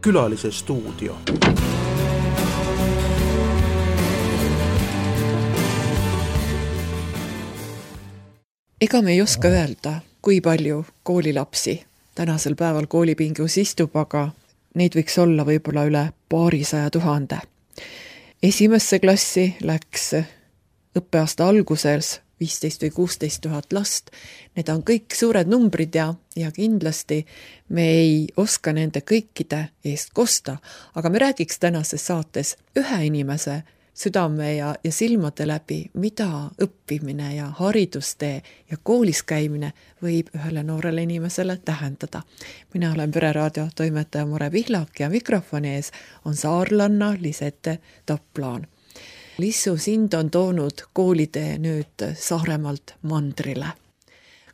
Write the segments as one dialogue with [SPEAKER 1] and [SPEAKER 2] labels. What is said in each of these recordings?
[SPEAKER 1] Külalise stuudio.
[SPEAKER 2] Ega me ei oska öelda, kui palju koolilapsi tänasel päeval koolipingus istub, aga neid võiks olla võib-olla üle 200 000. Esimesse klassi läks õppeaasta alguses 15 või 16 000 last. Need on kõik suured numbrid ja kindlasti me ei oska nende kõikide eest kosta, aga me räägiks tänases saates ühe inimese südame ja silmade läbi, mida õppimine ja haridustee ja koolis käimine võib ühele noorele inimesele tähendada. Mina olen Pereraadio toimetaja Mure Pihlak ja mikrofoni ees on saarlanna Lisette Taplaan. Lissu, sind on toonud koolitee nüüd Saaremaalt mandrile.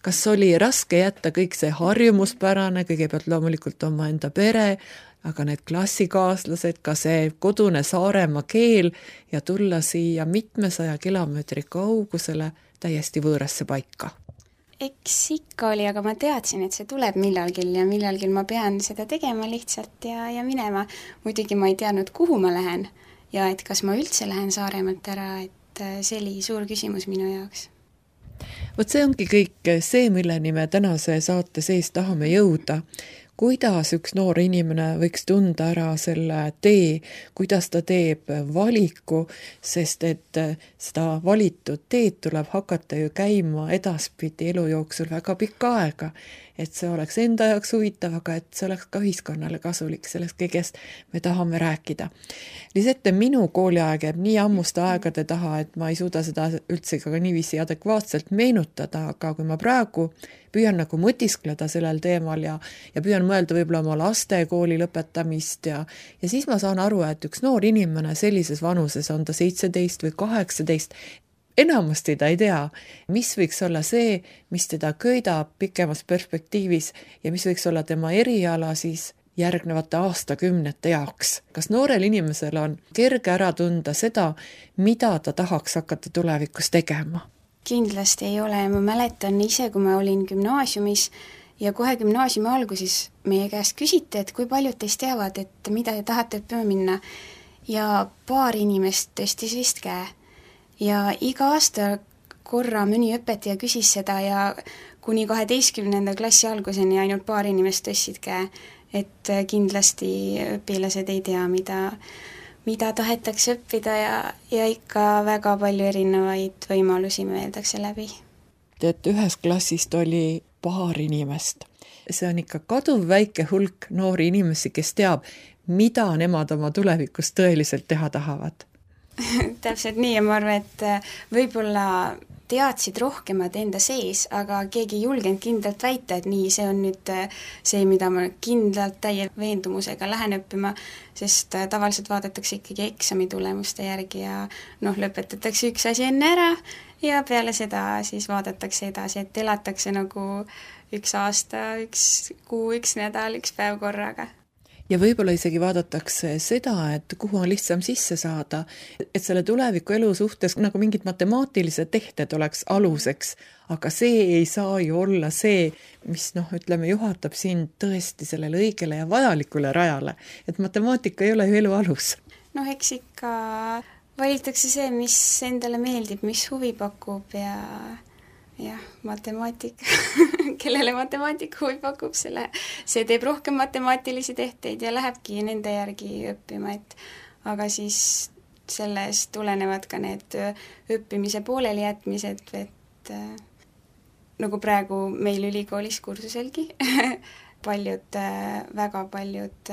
[SPEAKER 2] Kas oli raske jätta kõik see harjumuspärane, kõigepealt loomulikult oma enda pere, aga need klassikaaslased, ka see kodune Saaremaa keel ja tulla siia mitmesaja kilomeetri kaugusele täiesti võõrasse paika?
[SPEAKER 3] Eks ikka oli, aga ma teadsin, et see tuleb millalgi ja millalgi ma pean seda tegema lihtsalt ja minema. Muidugi ma ei teadnud, kuhu ma lähen ja et kas ma üldse lähen Saaremaalt ära, et see oli suur küsimus minu jaoks.
[SPEAKER 2] Vot see ongi kõik see, milleni me tänase saate sees tahame jõuda. Kuidas üks noor inimene võiks tunda ära selle tee, kuidas ta teeb valiku, sest et seda valitud teed tuleb hakata ju käima edaspidi elu jooksul väga pikka aega. Et see oleks enda jaoks huvitav, aga et see oleks ka ühiskonnale kasulik, sellest kõigest me tahame rääkida. Lisette, minu kooliaeg jääb nii ammuste aegade taha, et ma ei suuda seda üldse ka niiviisi adekvaatselt meenutada, aga kui ma praegu püüan nagu mõtiskleda sellel teemal ja püüan mõelda võib-olla oma laste kooli lõpetamist ja siis ma saan aru, et üks noor inimene sellises vanuses, on ta 17 või 18, enamasti ta ei tea, mis võiks olla see, mis teda köidab pikemas perspektiivis ja mis võiks olla tema eriala siis järgnevate aastakümnete jaoks. Kas noorel inimesel on kerge ära tunda seda, mida ta tahaks hakata tulevikus tegema?
[SPEAKER 3] Kindlasti ei ole. Ma mäletan ise, kui ma olin gümnaasiumis ja kohe gümnaasiumi alguses meie käest küsiti, et kui paljud teist teavad, et mida te tahate õppima minna. Ja paar inimest tõstis vist käe. Ja iga aasta korra mõni õpetaja küsis seda ja kuni 12. klassi alguseni ainult paar inimest tõstsid käe, et kindlasti õpilased ei tea, mida tahetakse õppida ja ikka väga palju erinevaid võimalusi mõeldakse läbi.
[SPEAKER 2] Et ühes klassist oli paar inimest. See on ikka kaduv väike hulk noori inimesi, kes teab, mida nemad oma tulevikus tõeliselt teha tahavad.
[SPEAKER 3] Täpselt nii ja ma arvan, et võib-olla teadsid rohkemad enda sees, aga keegi ei julgenud kindlalt väita, et nii, see on nüüd see, mida ma kindlalt täie veendumusega lähen õppima, sest tavaliselt vaadatakse ikkagi eksami tulemuste järgi ja lõpetatakse üks asi enne ära ja peale seda siis vaadatakse edasi, et elatakse nagu üks aasta, üks kuu, üks nädal, üks päev korraga.
[SPEAKER 2] Ja võib-olla isegi vaadatakse seda, et kuhu on lihtsam sisse saada, et selle tuleviku elu suhtes nagu mingid matemaatilised tehted oleks aluseks, aga see ei saa ju olla see, mis juhatab sind tõesti sellele õigele ja vajalikule rajale, et matemaatika ei ole ju elu alus.
[SPEAKER 3] Eks ikka valitakse see, mis endale meeldib, mis huvi pakub ja matemaatika, kellele matemaatika huvi pakub, see teeb rohkem matemaatilisi tehteid ja lähebki nende järgi õppima, aga siis sellest tulenevad ka need õppimise pooleli jätmised, et nagu praegu meil ülikoolis kursuselgi, väga paljud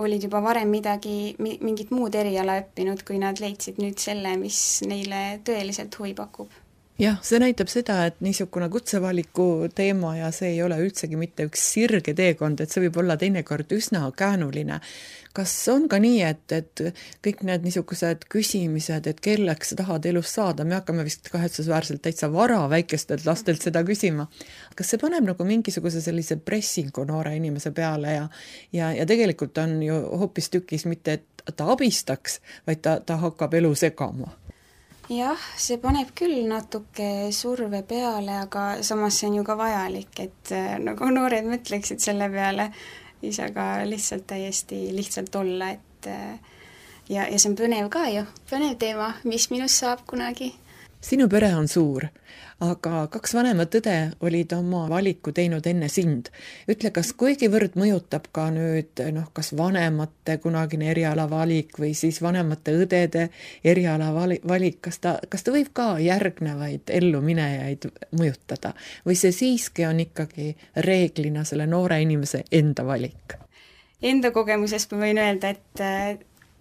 [SPEAKER 3] olid juba varem mingit muud eriala õppinud, kui nad leidsid nüüd selle, mis neile tõeliselt huvi pakub.
[SPEAKER 2] Jah, see näitab seda, et niisugune kutsevaliku teema ja see ei ole üldsegi mitte üks sirge teekond, et see võib olla teinekord üsna käänuline. Kas on ka nii, et kõik need niisugused küsimised, et kelleks tahad elus saada, me hakkame vist kahetsusväärselt täitsa vara väikestelt lastelt seda küsima. Kas see paneb nagu mingisuguse sellise pressingu noore inimese peale ja tegelikult on ju hoopis tükis mitte, et ta abistaks, vaid ta hakkab elu segama?
[SPEAKER 3] jah, see paneb küll natuke surve peale, aga samas see on ju ka vajalik, et nagu noored mõtleksid selle peale, ise ka lihtsalt täiesti lihtsalt olla, et ja see on põnev ka ju, põnev teema, mis minust saab kunagi.
[SPEAKER 2] Sinu pere on suur, aga 2 vanemat õde olid oma valiku teinud enne sind. Ütle, kas kuigivõrd mõjutab ka nüüd kas vanemate kunagine eriala valik või siis vanemate õdede eriala valik, kas ta võib ka järgnevaid elluminejaid mõjutada või see siiski on ikkagi reeglina selle noore inimese enda valik?
[SPEAKER 3] Enda kogemusest ma võin öelda, et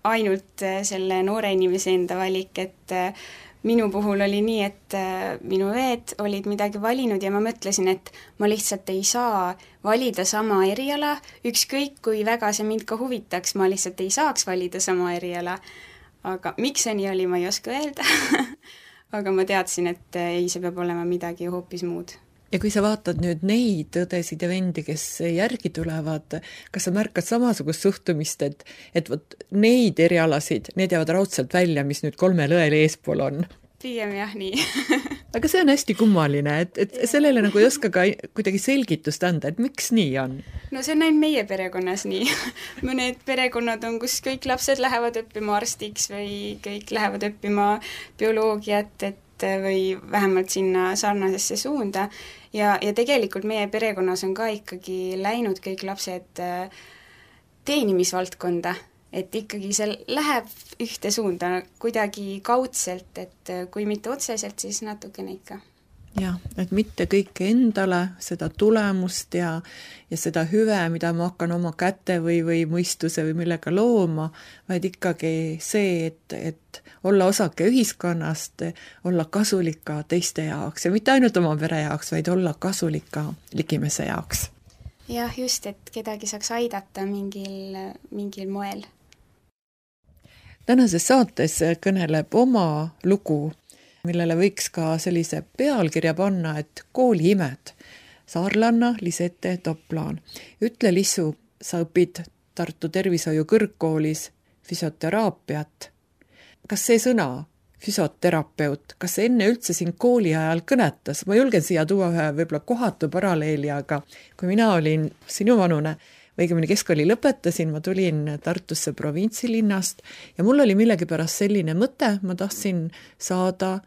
[SPEAKER 3] ainult selle noore inimese enda valik, et minu puhul oli nii, et minu õed olid midagi valinud ja ma mõtlesin, et ma lihtsalt ei saa valida sama eriala, ükskõik kui väga see mind ka huvitaks, ma lihtsalt ei saaks valida sama eriala. Aga miks see nii oli, ma ei oska öelda. Aga ma teadsin, et ei, see peab olema midagi hoopis muud.
[SPEAKER 2] Ja kui sa vaatad nüüd neid õdesid ja vendi, kes järgi tulevad, kas sa märkad samasugust suhtumist, et võt neid erialasid, need jäävad raudselt välja, mis nüüd 3 õel eespool on?
[SPEAKER 3] Pigem jah, nii.
[SPEAKER 2] Aga see on hästi kummaline, et sellele nagu ei oska ka kuidagi selgitust anda, et miks nii on?
[SPEAKER 3] No see on ainult meie perekonnas nii. Mõned perekonnad on, kus kõik lapsed lähevad õppima arstiks või kõik lähevad õppima bioloogiat, või vähemalt sinna sarnasesse suunda ja tegelikult meie perekonnas on ka ikkagi läinud kõik lapsed teenimisvaldkonda, et ikkagi see läheb ühte suunda kuidagi kaudselt, et kui mitte otseselt, siis natukene ikka.
[SPEAKER 2] Jah, et mitte kõike endale, seda tulemust ja seda hüve, mida ma hakkan oma käte või mõistuse või millega looma, vaid ikkagi see, et olla osake ühiskonnast, olla kasulik ka teiste jaoks ja mitte ainult oma pere jaoks, vaid olla kasulik ka ligimese jaoks.
[SPEAKER 3] Jah, just, et kedagi saaks aidata mingil moel.
[SPEAKER 2] Tänases saates kõneleb oma lugu, millele võiks ka sellise pealkirja panna, et kooliimed. Saarlanna Lisette Toplaan. Ütle, Lissu, sa õpid Tartu Tervishoiu kõrgkoolis füsioteraapiat. Kas see sõna, füsioterapeut, kas see enne üldse siin kooli ajal kõnetas? Ma julgen siia tuua ühe võib-olla kohatu paralleeli, aga kui mina olin sinu vanune, õigemini keskkooli lõpetasin, ma tulin Tartusse provintsilinnast ja mul oli millegipärast selline mõte, ma tahtsin saada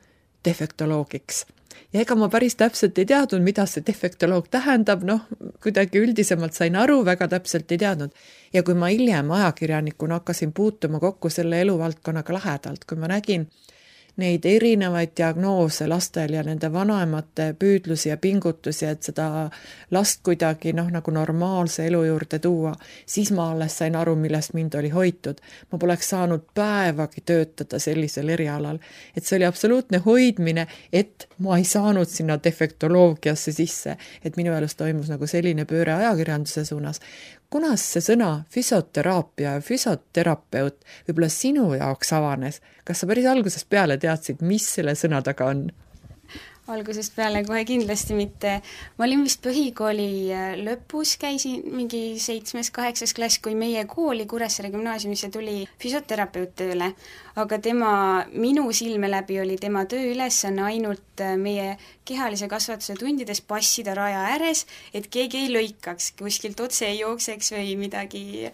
[SPEAKER 2] defektoloogiks. Ja ega ma päris täpselt ei teadnud, mida see defektoloog tähendab, kuidagi üldisemalt sain aru, väga täpselt ei teadnud. Ja kui ma hiljem ajakirjanikuna hakkasin puutuma kokku selle eluvaldkonnaga lähedalt, kui ma nägin neid erinevaid diagnoose lastel ja nende vanaemate püüdlusi ja pingutusi, et seda last kuidagi nagu normaalse elu juurde tuua, siis ma alles sain aru, millest mind oli hoitud. Ma poleks saanud päevagi töötada sellisel erialal, et see oli absoluutne hoidmine, et ma ei saanud sinna defektoloogiasse sisse, et minu elus toimus nagu selline pööre ajakirjanduse suunas. Kunas see sõna füsioteraapia ja füsioterapeut võib-olla sinu jaoks avanes? Kas sa päris algusest peale teadsid, mis selle sõna taga on?
[SPEAKER 3] Algusest peale kohe kindlasti mitte. Ma olin vist põhikooli lõpus, käisin mingi 7.-8. klass, kui meie kooli Kuressaare gümnaasiumisse tuli füsioterapeut tööle, aga minu silme läbi oli tema tööülesanne ainult meie kehalise kasvatuse tundides passida raja ääres, et keegi ei lõikaks, kuskilt otse ei jookseks või midagi.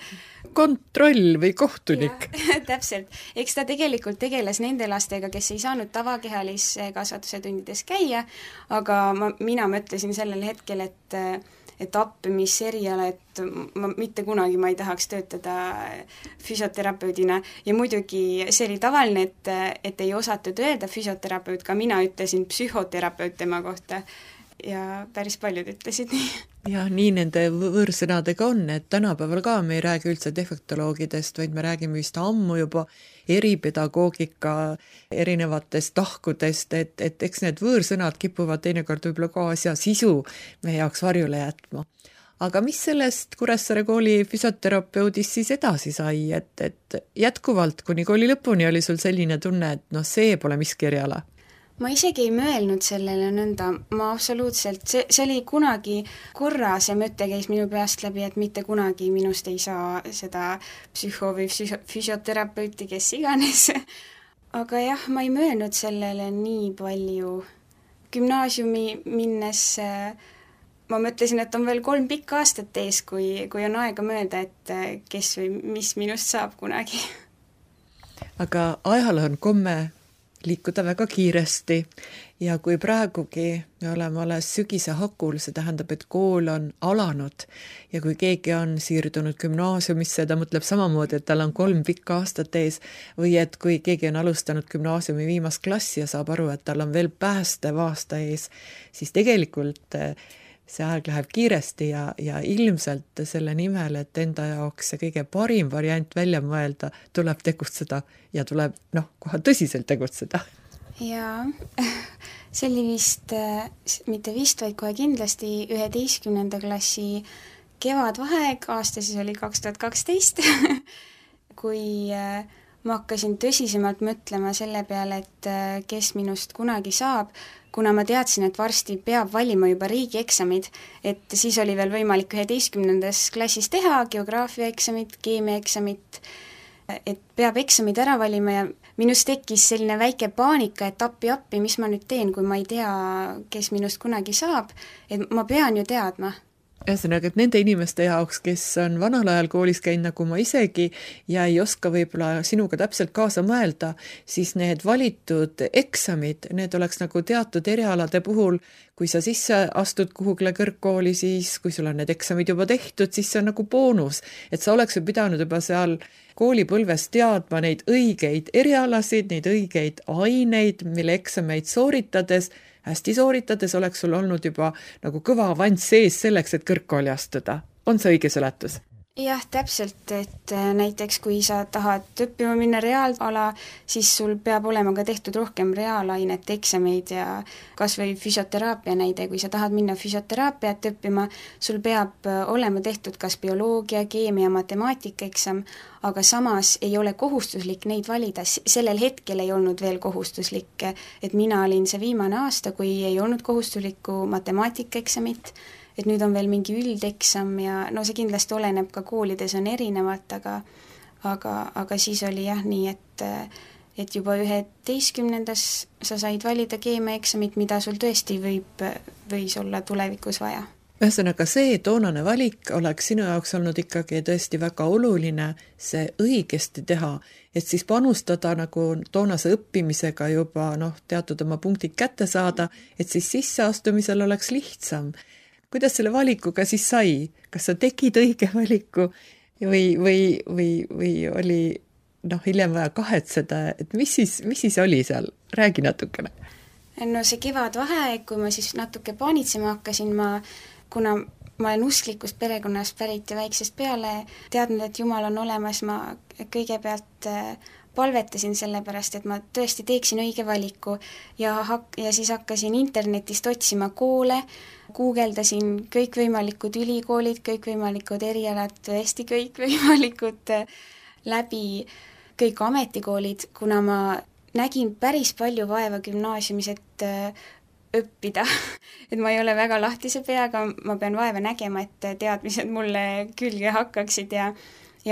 [SPEAKER 2] Kontroll või kohtunik.
[SPEAKER 3] Täpselt. Eks ta tegelikult tegeles nende lastega, kes ei saanud tavakehalise kasvatuse tundides käia, aga mina mõtlesin sellel hetkel, et mis eriala, et mitte kunagi ma ei tahaks töötada füsioterapeudina ja muidugi see oli tavaline, et ei osatud öelda füsioterapeut, ka mina ütlesin psühhoterapeut tema kohta ja päris paljud ütlesid nii.
[SPEAKER 2] Ja nii nende võõrsõnadega on, et tänapäeval ka me ei räägi üldse defektoloogidest, vaid me räägime vist ammu juba eripedagoogika erinevatest tahkudest, et eks need võõrsõnad kipuvad teinekord võib-olla ka asja sisu meie jaoks varjule jätma. Aga mis sellest Kuressaare kooli füsioterapeudist siis edasi sai, et jätkuvalt kuni kooli lõpuni oli sul selline tunne, et see pole miski eriala?
[SPEAKER 3] Ma isegi ei mõelnud sellele nõnda, ma absoluutselt, see oli kunagi korra, see mõte käis minu peast läbi, et mitte kunagi minust ei saa seda psühho- või füsioterapeuti, kes iganes. aga jah, ma ei mõelnud sellele nii palju. Gümnaasiumi minnes ma mõtlesin, et on veel 3 pikka aastat ees, kui on aega mõelda, et kes või mis minust saab kunagi.
[SPEAKER 2] Aga ajal on komme liikuda väga kiiresti ja kui praegugi me oleme alles sügise hakul, see tähendab, et kool on alanud ja kui keegi on siirdunud gümnaasiumisse, ta mõtleb samamoodi, et tal on 3 pikka aastat ees või et kui keegi on alustanud gümnaasiumi viimast klassi ja saab aru, et tal on veel päästev aasta ees, siis tegelikult see aeg läheb kiiresti ja ilmselt selle nimel, et enda jaoks see kõige parim variant välja mõelda, tuleb tegutseda ja tuleb kohe tõsiselt tegutseda.
[SPEAKER 3] Jaa, see oli vist, mitte vist, vaid kohe kindlasti 11. klassi kevadvaheaeg, aasta siis oli 2012, kui ma hakkasin tõsisemalt mõtlema selle peale, et kes minust kunagi saab, kuna ma teadsin, et varsti peab valima juba riigieksamid, et siis oli veel võimalik 11. klassis teha geograafiaeksamit, keemiaeksamit, et peab eksamid ära valima ja minust tekkis selline väike paanika, et appi, mis ma nüüd teen, kui ma ei tea, kes minust kunagi saab, et ma pean ju teadma.
[SPEAKER 2] Ühesõnaga, et nende inimeste jaoks, kes on vanal ajal koolis käinud nagu ma isegi ja ei oska võib-olla sinuga täpselt kaasa mõelda, siis need valitud eksamid, need oleks nagu teatud erialade puhul, kui sa sisse astud kuhugile kõrgkooli, siis kui sul on need eksamid juba tehtud, siis see on nagu boonus, et sa oleks ju pidanud juba seal koolipõlves teadma neid õigeid erialasid, neid õigeid aineid, mille eksameid sooritades hästi sooritades oleks sul olnud juba nagu kõva avanss sees selleks, et kõrgkooli astuda. On see õige seletus?
[SPEAKER 3] Jah, täpselt, et näiteks kui sa tahad õppima minna reaalala, siis sul peab olema ka tehtud rohkem reaalainete eksameid ja kas või füsioteraapia näide, kui sa tahad minna füsioteraapiat õppima, sul peab olema tehtud kas bioloogia, keemia, matemaatika eksam, aga samas ei ole kohustuslik neid valida, sellel hetkel ei olnud veel kohustuslik, et mina olin see viimane aasta, kui ei olnud kohustuslikku matemaatika eksamit, et nüüd on veel mingi üldeksam ja no see kindlasti oleneb ka koolides on erinevat, aga siis oli jah nii, et juba 11. sa said valida keemiaeksamit, mida sul tõesti võis olla tulevikus vaja.
[SPEAKER 2] Ühesõnaga see toonane valik oleks sinu jaoks olnud ikkagi tõesti väga oluline see õigesti teha, et siis panustada nagu toonase õppimisega juba teatud oma punktid kätte saada, et siis sisseastumisel oleks lihtsam. Kuidas selle valikuga siis sai? Kas sa tegid õige valiku või oli hiljem vaja kahetseda, et mis siis oli seal? Räägi natukene.
[SPEAKER 3] No see kevadvaheaeg, kui ma siis natuke paanitsema hakkasin, kuna ma olen usklikust perekonnast pärit ja väiksest peale teadnud, et Jumal on olemas, ma kõigepealt palvetasin sellepärast, et ma tõesti teeksin õige valiku ja siis hakkasin internetist otsima koole, guugeldasin kõikvõimalikud ülikoolid, kõikvõimalikud erialad, tõesti kõikvõimalikud läbi kõik ametikoolid, kuna ma nägin päris palju vaeva gümnaasiumis, et õppida, et ma ei ole väga lahtise peaga, ma pean vaeva nägema, et teadmised mulle külge hakkaksid ja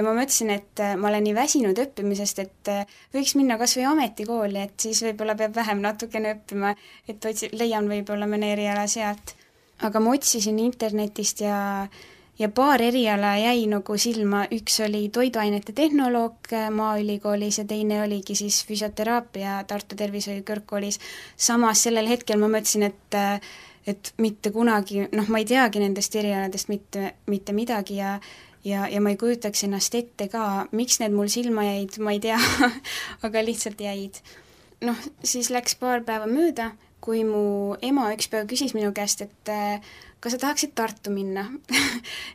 [SPEAKER 3] ma mõtlesin, et ma olen nii väsinud õppimisest, et võiks minna kas või ametikooli, et siis võib-olla peab vähem natukene õppima, et leian võib-olla mõne eriala sealt. Aga ma otsisin internetist ja paar eriala jäi nagu silma, üks oli toiduainete tehnoloog Maaülikoolis ja teine oligi siis füsioteraapia Tartu Tervishoiu Kõrgkoolis. Samas sellel hetkel ma mõtlesin, et mitte kunagi, ma ei teagi nendest erialadest mitte midagi ja ma ei kujutaks ennast ette ka, miks need mul silma jäid, ma ei tea, aga lihtsalt jäid. Siis läks paar päeva mööda, kui mu ema üks päev küsis minu käest, et kas sa tahaksid Tartu minna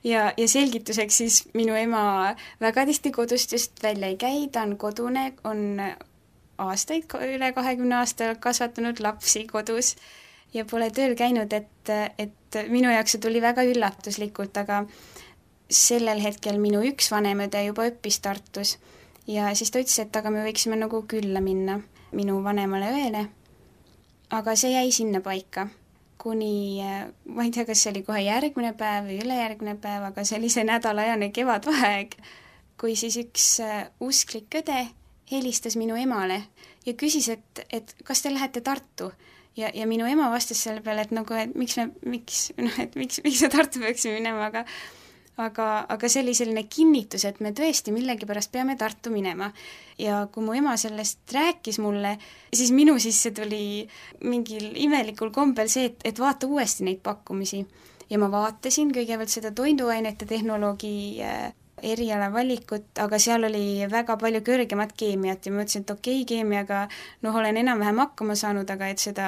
[SPEAKER 3] ja selgituseks siis minu ema väga tihti kodust just välja ei käi, ta on kodune, on aastaid, üle 20 aasta kasvatanud lapsi kodus ja pole tööl käinud, et minu jaoks see tuli väga üllatuslikult, aga sellel hetkel minu üks vanemõde juba õppis Tartus ja siis ta ütles, et aga me võiksime nagu külla minna minu vanemale õele. Aga see jäi sinna paika, kuni, ma ei tea, kas see oli kohe järgmine päev või ülejärgmine päev, aga see oli see nädalajane kevadvaheaeg, kui siis üks usklik õde helistas minu emale ja küsis, et kas te lähete Tartu. Ja minu ema vastas selle peale, et nagu, et miks me Tartu peaksime minema, aga see oli selline kinnitus, et me tõesti millegipärast peame Tartu minema. Ja kui mu ema sellest rääkis mulle, siis minu sisse tuli mingil imelikul kombel see, et vaata uuesti neid pakkumisi. Ja ma vaatasin kõigepealt seda toiduainete tehnoloogi eriala valikut, aga seal oli väga palju kõrgemat keemiat ja ma mõtlesin, et okei, keemiaga olen enam-vähem hakkama saanud, aga et seda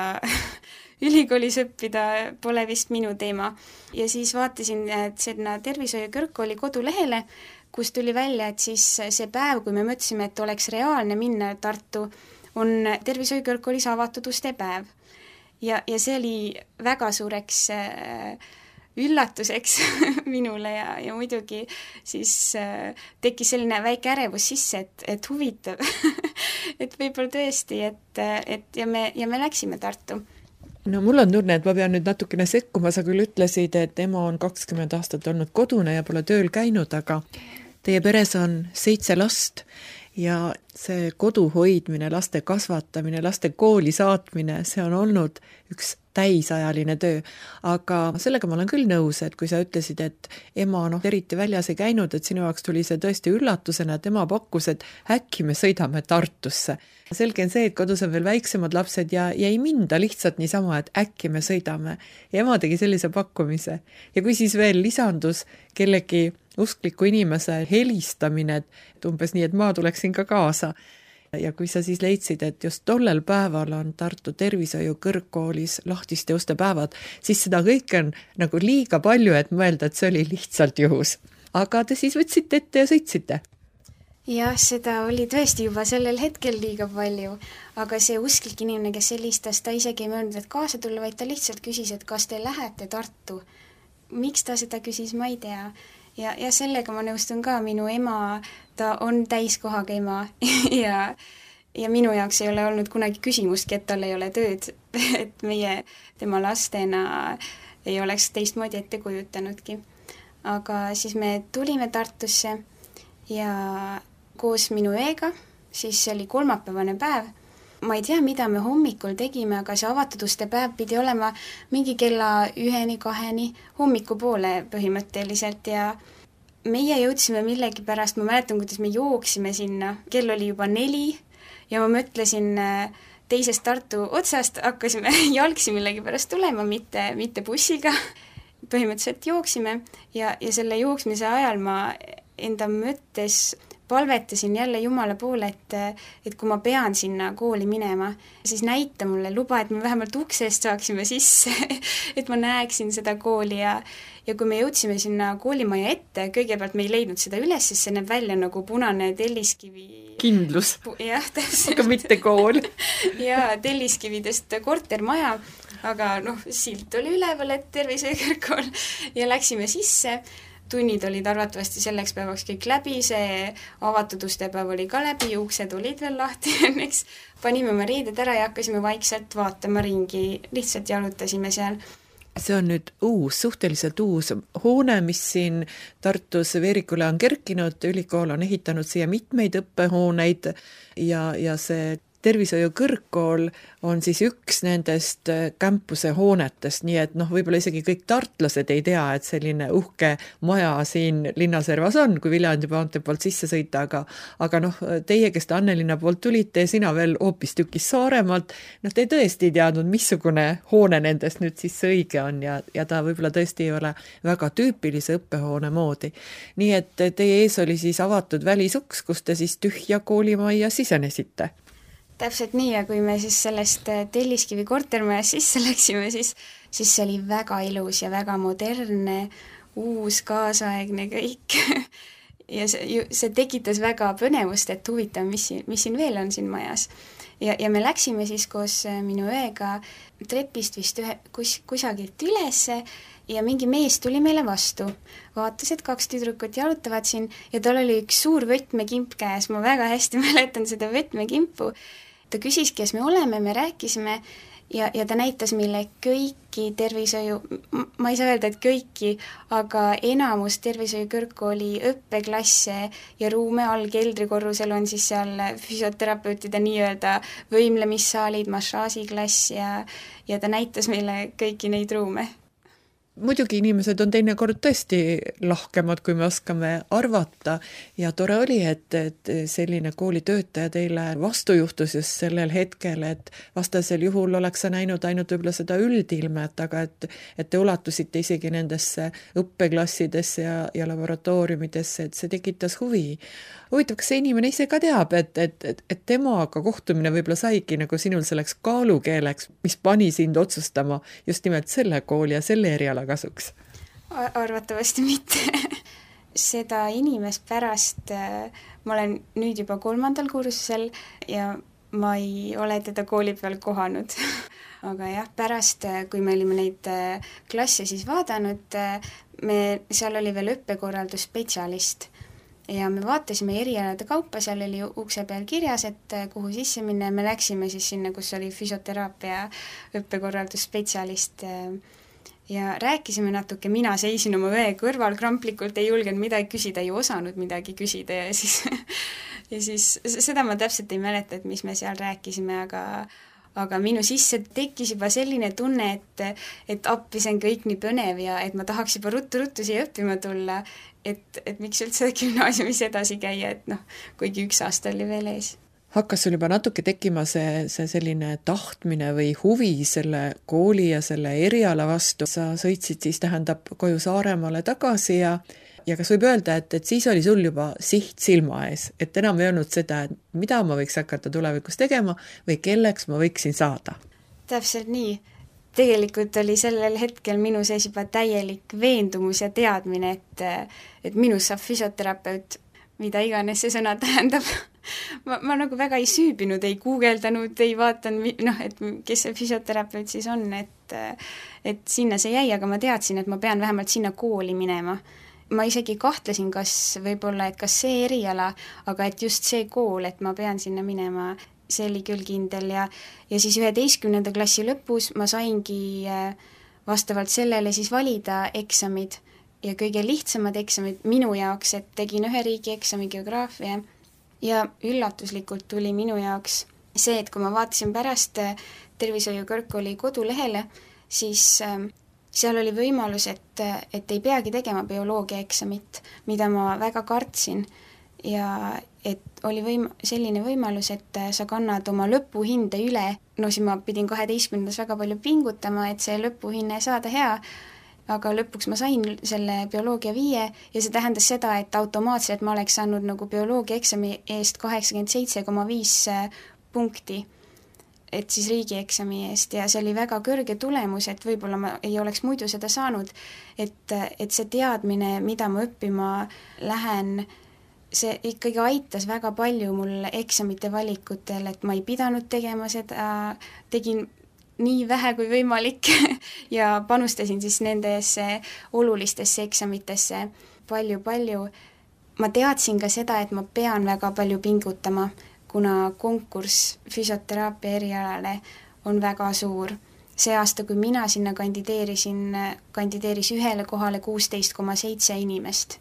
[SPEAKER 3] ülikoolis õppida pole vist minu teema. Ja siis vaatasin sinna tervishoiu kõrgkooli kodulehele, kus tuli välja, et siis see päev, kui me mõtlesime, et oleks reaalne minna Tartu, on tervishoiu kõrgkoolis avatud uste päev. Ja see oli väga suureks üllatuseks minule ja muidugi siis tekkis selline väike ärevus sisse, et huvitav, et võib-olla tõesti, ja me läksime Tartu.
[SPEAKER 2] No mul on tunne, et ma pean nüüd natukene sekkuma, sa küll ütlesid, et ema on 20 aastat olnud kodune ja pole tööl käinud, aga teie peres on 7 last ja see kodu hoidmine, laste kasvatamine, laste kooli saatmine, see on olnud üks täisajaline töö, aga sellega ma olen küll nõus, et kui sa ütlesid, et ema eriti väljas ei käinud, et sinu jaoks tuli see tõesti üllatusena, et ema pakkus, et äkki me sõidame Tartusse. Selge on see, et kodus on veel väiksemad lapsed ja ei minda lihtsalt niisama, et äkki me sõidame. Ja ema tegi sellise pakkumise. Ja kui siis veel lisandus kellegi uskliku inimese helistamine, et umbes nii, et ma tuleksin ka kaasa. Ja kui sa siis leidsid, et just tollel päeval on Tartu tervishoiu kõrgkoolis lahtiste uste päevad, siis seda kõike on nagu liiga palju, et mõelda, et see oli lihtsalt juhus. Aga te siis võtsite ette ja sõitsite?
[SPEAKER 3] Jah, seda oli tõesti juba sellel hetkel liiga palju, aga see usklik inimene, kes helistas, ta isegi ei mõelnud, et kaasa tulla, vaid ta lihtsalt küsis, et kas te lähete Tartu. Miks ta seda küsis, ma ei tea. Ja sellega ma nõustun ka, minu ema, ta on täiskohaga ema ja minu jaoks ei ole olnud kunagi küsimustki, et tal ei ole tööd, et meie tema lastena ei oleks teistmoodi ette kujutanudki. Aga siis me tulime Tartusse ja koos minu õega, siis see oli kolmapäevane päev. Ma ei tea, mida me hommikul tegime, aga see avatud uste päev pidi olema mingi kella 1-2 hommikupoole põhimõtteliselt ja meie jõudsime millegipärast, ma mäletan, kuidas me jooksime sinna, kell oli juba 4 ja ma mõtlesin teisest Tartu otsast, hakkasime jalgsi millegipärast tulema, mitte bussiga. Põhimõtteliselt jooksime ja selle jooksmise ajal ma enda mõttes palvetasin jälle Jumala poole, et kui ma pean sinna kooli minema, siis näita mulle, luba, et me vähemalt uksest saaksime sisse, et ma näeksin seda kooli ja kui me jõudsime sinna koolimaja ette, kõigepealt me ei leidnud seda üles, sest see näeb välja nagu punane telliskivi.
[SPEAKER 2] Kindlus.
[SPEAKER 3] Jah, täpselt.
[SPEAKER 2] Aga mitte kool.
[SPEAKER 3] Ja telliskividest kortermaja, aga silt oli üleval, et tervishoiu kõrgkool ja läksime sisse. Tunnid olid arvatavasti selleks päevaks kõik läbi, see avatud ustepäev oli ka läbi, uksed olid veel lahti õnneks. Panime oma riided ära ja hakkasime vaikselt vaatama ringi, lihtsalt jalutasime seal.
[SPEAKER 2] See on nüüd suhteliselt uus hoone, mis siin Tartus Veerikule on kerkinud, ülikool on ehitanud siia mitmeid õppehooneid ja see tervishoiu kõrgkool on siis üks nendest campuse hoonetest, nii et võib-olla isegi kõik tartlased ei tea, et selline uhke maja siin linnaservas on, kui Viljandi maantee poolt sisse sõita, aga teie, kes te Annelinna poolt tulite ja sina veel hoopis tükis Saaremaalt, te tõesti ei teadnud, missugune hoone nendest nüüd siis õige on ja ta võib-olla tõesti ei ole väga tüüpilise õppehoone moodi. Nii et teie ees oli siis avatud välisuks, kus te siis tühja koolimajja sisenesite.
[SPEAKER 3] Täpselt nii ja kui me siis sellest telliskivi kortermajas sisse läksime, siis see oli väga ilus ja väga modernne, uus, kaasaegne kõik. Ja see tekitas väga põnevust, et huvitav, mis siin veel on siin majas. Ja me läksime siis koos minu õega trepist vist kusagilt ülesse ja mingi mees tuli meile vastu. Vaatas, et 2 tüdrukut jalutavad siin ja tal oli üks suur võtmekimp käes. Ma väga hästi mäletan seda võtmekimpu. Ta küsis, kes me oleme, me rääkisime ja ta näitas meile kõiki tervishoiu, ma ei saa öelda, et kõiki, aga enamus tervishoiu kõrgkooli õppeklasse ja ruume all keldrikorrusel on siis seal füsioterapeutide nii-öelda võimlemissaalid, massaažiklass ja ta näitas meile kõiki neid ruume.
[SPEAKER 2] Muidugi inimesed on teinekord tõesti lahkemad, kui me oskame arvata ja tore oli, et selline koolitöötaja teile vastu juhtus just sellel hetkel, et vastasel juhul oleks sa näinud ainult võib-olla seda üldilmet, aga et te ulatusite isegi nendesse õppeklassidesse ja laboratooriumidesse, et see tekitas huvi. Huvitav, kas see inimene ise ka teab, et temaga kohtumine võib-olla saigi nagu sinul selleks kaalukeeleks, mis pani sind otsustama just nimelt selle kooli ja selle eriala kasuks?
[SPEAKER 3] Arvatavasti mitte. Seda inimest pärast, ma olen nüüd juba 3. kursusel ja ma ei ole teda kooli peal kohanud. Aga jah, pärast, kui me olime neid klasse siis vaadanud, seal oli veel õppekorraldusspetsialist ja me vaatasime erialade kaupa, seal oli ukse peal kirjas, et kuhu sisse minna ja me läksime siis sinna, kus oli füsioteraapia õppekorraldusspetsialist ja rääkisime natuke, mina seisin oma õe kõrval kramplikult, ei julgenud midagi küsida, ei osanud midagi küsida ja siis seda ma täpselt ei mäleta, et mis me seal rääkisime, aga minu sisse tekkis juba selline tunne, et appi see on kõik nii põnev ja et ma tahaks juba ruttu siia õppima tulla, et miks üldse gümnaasiumis edasi käia, et kuigi 1 aasta oli veel ees.
[SPEAKER 2] Hakkas sul juba natuke tekkima see selline tahtmine või huvi selle kooli ja selle eriala vastu. Sa sõitsid siis koju Saaremaale tagasi ja kas võib öelda, et siis oli sul juba siht silma ees, et enam ei olnud seda, et mida ma võiks hakata tulevikus tegema või kelleks ma võiksin saada?
[SPEAKER 3] Täpselt nii. Tegelikult oli sellel hetkel minu sees juba täielik veendumus ja teadmine, et minus saab füsioterapeut, mida iganes see sõna tähendab. Ma nagu väga ei süübinud, ei guugeldanud, ei vaatanud, et kes see füsioterapeut siis on, et sinna see jäi, aga ma teadsin, et ma pean vähemalt sinna kooli minema. Ma isegi kahtlesin, kas see eriala, aga et just see kool, et ma pean sinna minema, see oli küll kindel ja siis 11. klassi lõpus ma saingi vastavalt sellele siis valida eksamid ja kõige lihtsamad eksamid minu jaoks, et tegin 1 riigieksami geograafia ja üllatuslikult tuli minu jaoks see, et kui ma vaatasin pärast tervishoiu kõrgkooli kodulehele, siis seal oli võimalus, et ei peagi tegema bioloogia eksamit, mida ma väga kartsin ja et oli selline võimalus, et sa kannad oma lõpuhinde üle, siis ma pidin 12. väga palju pingutama, et see lõpuhinne saada hea, aga lõpuks ma sain selle bioloogia 5 ja see tähendas seda, et automaatselt ma oleks saanud nagu bioloogia eksami eest 87,5 punkti, et siis riigieksami eest ja see oli väga kõrge tulemus, et võib-olla ma ei oleks muidu seda saanud, et see teadmine, mida ma õppima lähen, see ikkagi aitas väga palju mul eksamite valikutel, et ma ei pidanud tegema seda, tegin nii vähe kui võimalik ja panustasin siis nendesse olulistesse eksamitesse palju. Ma teadsin ka seda, et ma pean väga palju pingutama, kuna konkurss füsioteraapia erialale on väga suur. See aasta, kui mina sinna kandideeris 1 kohale 16,7 inimest.